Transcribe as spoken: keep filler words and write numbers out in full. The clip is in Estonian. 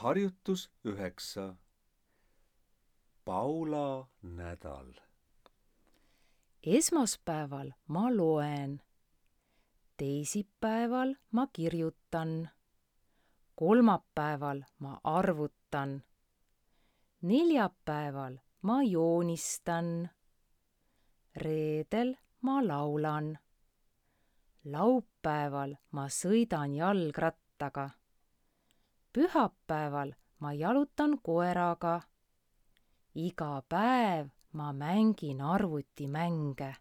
harjutus üheksa. Paula nädal. Esmaspäeval ma loen, teisipäeval ma kirjutan, kolmapäeval ma arvutan, neljapäeval ma joonistan, reedel ma laulan, laupäeval ma sõidan jalgrattaga, pühapäeval ma jalutan koeraga, iga päev ma mängin arvutimänge.